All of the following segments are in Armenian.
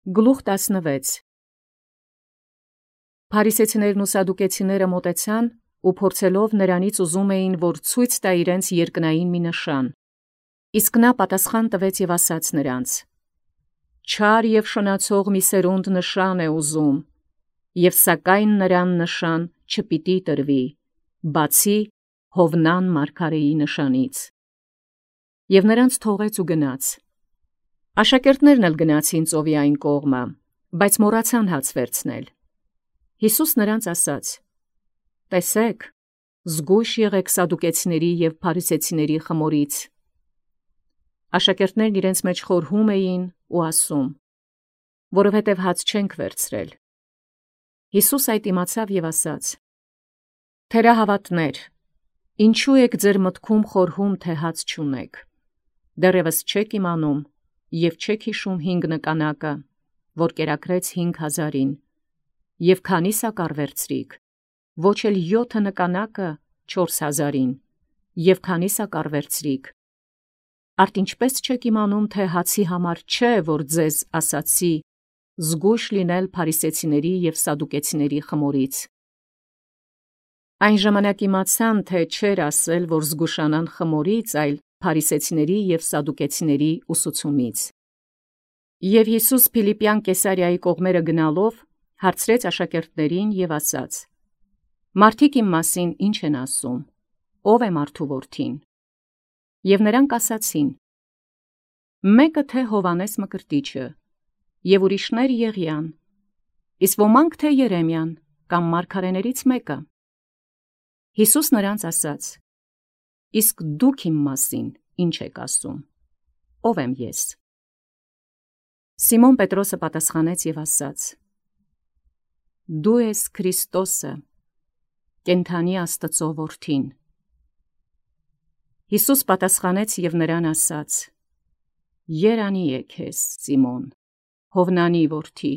Գլուխ 16 Փարիսեցիներն ու սադուկեցիները մոտեցան ու փորձելով նրանից ուզում էին, որ ցույց տա իրենց երկնային մի նշան. իսկ նա պատասխան տվեց և ասաց նրանց. չար և շնացող մի սերունդ նշան է ուզում, և սակայն նրան նշան չպիտի տրվի, բացի Հովնան մարգարեի նշանից։ Եվ նրանց թողեց ու գնաց։ Աշակերտներն էլ գնացին ծովի այն կողմը, բայց մոռացան հաց վերցնել։ Յիսուս նրանց ասաց. տեսեք, զգույշ եղեք սադուկեցիների և փարիսեցիների խմորից։ Աշակերտներն իրենց մեջ խորհում էին ու ասում. որովհետև հաց չենք վերցրել։ Յիսուս այդ իմացավ և ասաց. թերահավատներ, ինչու եք ձեր մտքում խորհում, թե հաց չունեք։ Դեռևս չեք իմանում և չեք հիշում 5 նկանակը, որ կերակրեց 5,000-ին, և քանի սակար վերցրիք, ոչ էլ 7 նկանակը 4,000-ին, և քանի սակար վերցրիք։ Արդ ինչպես չեք իմանում, թե հացի համար չէ, որ ձեզ ասացի, զգույշ լինել փարիսեցիների և սադուկեցիների խմորից։ Այն ժամանակ իմացան, թե չէր ասել, որ զգուշանան խմորից, այլ փարիսեցիների և սադուկեցիների ուսուցումից։ Եվ Յիսուս Փիլիպպյան Կեսարիայի կողմերը գնալով, հարցրեց աշակերտներին և ասաց. մարդիկ իմ մասին ինչ են ասում, ո՞վ է մարդու որդին։ Եվ նրանք ասացին. մեկը թե Հովհաննես Մկրտիչը, և ուրիշներ Եղիան, իսկ ոմանք թե Երեմիան կամ մարգարեներից մեկը։ Յիսուս նրանց ասաց. իսկ դուք իմ մասին ինչ եք ասում, ո՞վ եմ ես։ Սիմոն Պետրոսը պատասխանեց և ասաց. դու ես Քրիստոսը, կենդանի Աստծո որդին։ Յիսուս պատասխանեց և նրան ասաց. երանի է քեզ, Սիմոն, Հովնանի որդի,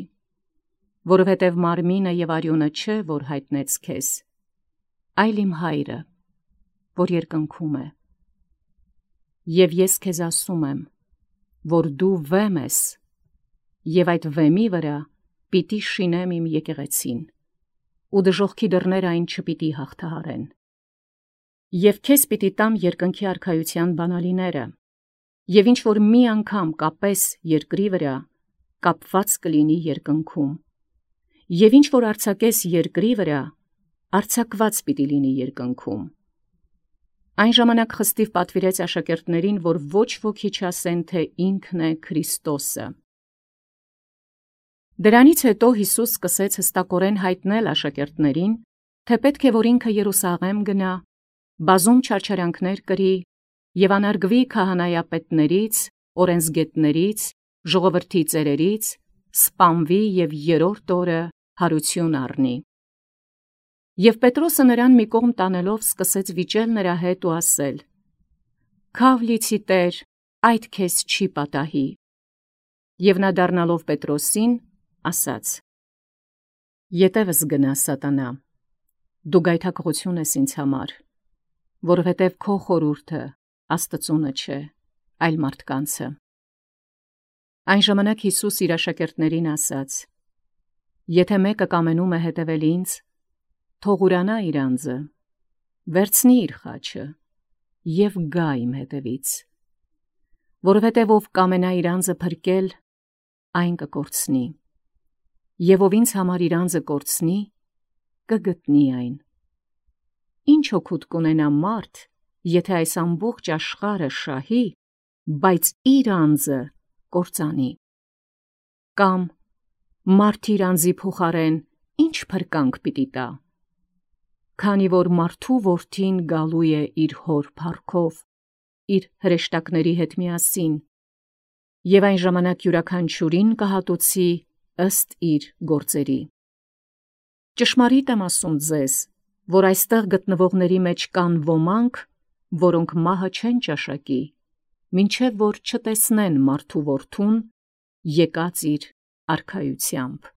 որովհետև մարմինը և արյունը չէ, որ հայտնեց քեզ, այլ իմ Հայրը, որ երկնքում է։ Եվ ես քեզ ասում եմ, որ դու վեմ ես, և այդ վեմի վրա պիտի շինեմ իմ եկեղեցին, ու դժոխքի դռները այն չպիտի հաղթահարեն։ Եվ քեզ պիտի տամ երկնքի արքայության բանալիները, և ինչ որ մի անգամ կապես երկրի վրա, կապված կլինի երկնքում, և ինչ որ արձակես երկրի վրա, արձակված պիտի լինի երկնքում։ Այն ժամանակ խստիվ պատվիրեց աշակերտներին, որ ոչ ոքի չասեն, թե ինքն է Քրիստոսը։ Դրանից հետո Յիսուս սկսեց հստակորեն հայտնել աշակերտներին, թե պետք է, որ ինքը Երուսաղեմ գնա, բազում չարչարանքներ կրի և անարգվի քահանայապետներից, օրենսգետներից, ժողովրդի ծերերից, սպանվի և երրորդ օրը հարություն առնի։ Եվ Պետրոսը նրան մի կողմ տանելով սկսեց վիճել նրա հետ ու ասել. «Քավ լիցի Տեր, այդ քեզ չի պատահի»։ Եվ նա դառնալով Պետրոսին, ասաց. «Ետևս գնա, Սատանա, դու գայթակղություն ես ինձ համար, որովհետև քո խորհուրդը Աստծունը չէ, այլ մարդկանցը»։ Այն ժամանակ Յիսուս իր աշակերտներին ասաց. «Եթե մեկը կամենում է հետևել ինձ, թող ուրանա իր անձը, վերցնի իր խաչը և գա իմ հետևից, որովհետև ով կամենա իր անձը փրկել, այն կկորցնի, և ով ինձ համար իր անձը կորցնի, կգտնի այն։ Ինչ օգուտ կունենա մարդ, եթե այս ամբողջ աշխարհը շահի, բայց իր անձը կործանի։ Կամ մարդ իր անձի փոխարեն ինչ փրկանք պիտի տա։ Քանի որ մարդու որդին գալու է իր հոր փառքով, իր հրեշտակների հետ միասին, և այն ժամանակ յուրաքանչյուրին կհատուցի ըստ իր գործերի։ Ճշմարիտ եմ ասում ձեզ, որ այստեղ գտնվողների մեջ կան ոմանք, որոնք մահը չեն ճաշակի, մինչև որ չտեսնեն մարդու որդուն եկած իր արքայությամբ։